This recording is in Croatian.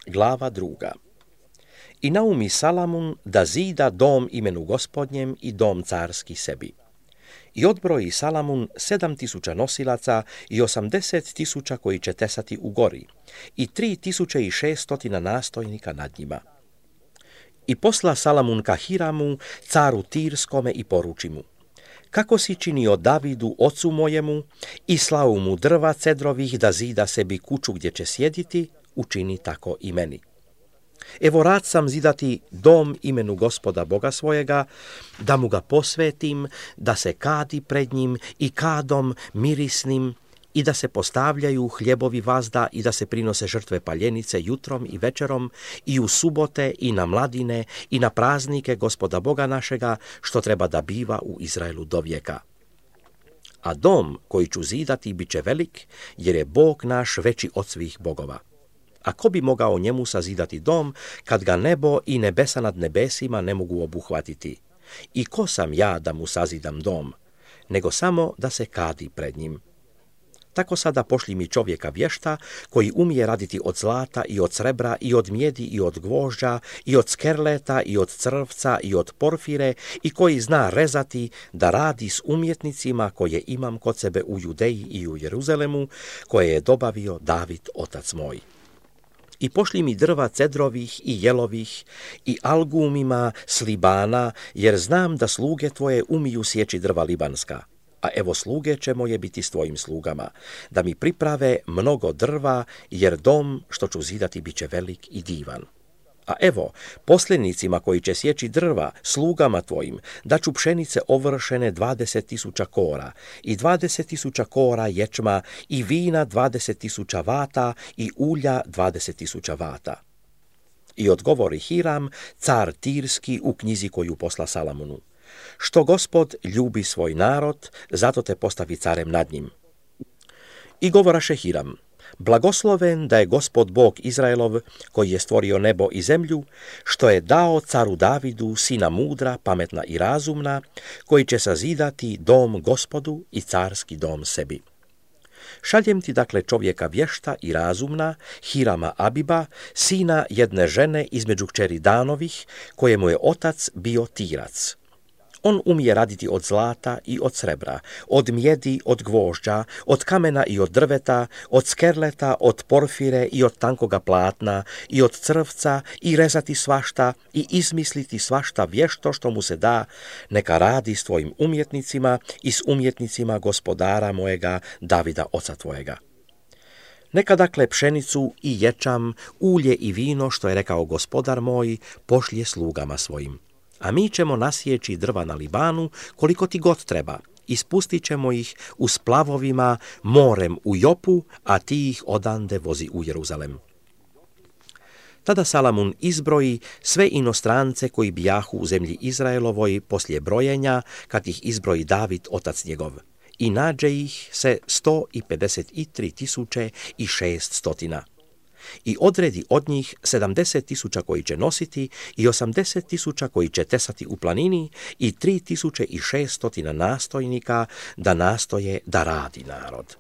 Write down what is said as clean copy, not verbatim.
Glava 2. I naumi Salamun da zida dom imenu Gospodnjem i dom carski sebi. I odbroji Salamun 7.000 nosilaca i 80.000 koji će tesati u gori i 3.600 nastojnika nad njima. I posla Salamun ka Hiramu, caru Tirskome, i poruči mu: kako si činio Davidu, ocu mojemu, i slao mu drva cedrovih da zida sebi kuću gdje će sjediti, učini tako i meni. Evo rad sam zidati dom imenu Gospoda Boga svojega, da mu ga posvetim, da se kadi pred njim i kadom mirisnim, i da se postavljaju hljebovi vazda i da se prinose žrtve paljenice jutrom i večerom i u subote i na mladine i na praznike Gospoda Boga našega, što treba da biva u Izraelu do vijeka. A dom koji ću zidati bit će velik, jer je Bog naš veći od svih bogova. A ko bi mogao njemu sazidati dom, kad ga nebo i nebesa nad nebesima ne mogu obuhvatiti? I ko sam ja da mu sazidam dom, nego samo da se kadi pred njim? Tako sada pošli mi čovjeka vješta, koji umije raditi od zlata i od srebra i od mjedi i od gvožđa i od skerleta i od crvca i od porfire, i koji zna rezati, da radi s umjetnicima koje imam kod sebe u Judeji i u Jeruzalemu, koje je dobavio David otac moj. I pošli mi drva cedrovih i jelovih i algumima s Libana, jer znam da sluge tvoje umiju sjeći drva libanska. A evo sluge će moje biti s tvojim slugama, da mi priprave mnogo drva, jer dom što ću zidati bit će velik i divan. A evo, poslenicima koji će sjeći drva, slugama tvojim, daću pšenice ovršene 20.000 kora, i 20.000 kora ječma, i vina 20.000 vata, i ulja 20.000 vata. I odgovori Hiram, car Tirski, u knjizi koju posla Salamunu: što Gospod ljubi svoj narod, zato te postavi carem nad njim. I govoraše Hiram: blagosloven da je Gospod Bog Izraelov, koji je stvorio nebo i zemlju, što je dao caru Davidu sina mudra, pametna i razumna, koji će sazidati dom Gospodu i carski dom sebi. Šaljem ti dakle čovjeka vješta i razumna, Hirama Abiba, sina jedne žene između kćeri Danovih, kojemu je otac bio Tirac. On umije raditi od zlata i od srebra, od mjedi, od gvožđa, od kamena i od drveta, od skerleta, od porfire i od tankoga platna, i od crvca, i rezati svašta, i izmisliti svašta vješto što mu se da, neka radi s tvojim umjetnicima i s umjetnicima gospodara mojega, Davida oca tvojega. Neka dakle pšenicu i ječam, ulje i vino, što je rekao gospodar moj, pošlje slugama svojim. A mi ćemo nasjeći drva na Libanu koliko ti god treba, i spustit ćemo ih u splavovima morem u Jopu, a ti ih odande vozi u Jeruzalem. Tada Salamun izbroji sve inostrance koji bijahu u zemlji Izraelovoj poslije brojenja, kad ih izbroji David otac njegov. I nađe ih se 153.600. I odredi od njih 70.000 koji će nositi i 80.000 koji će tesati u planini i 3.600 nastojnika da nastoje da radi narod.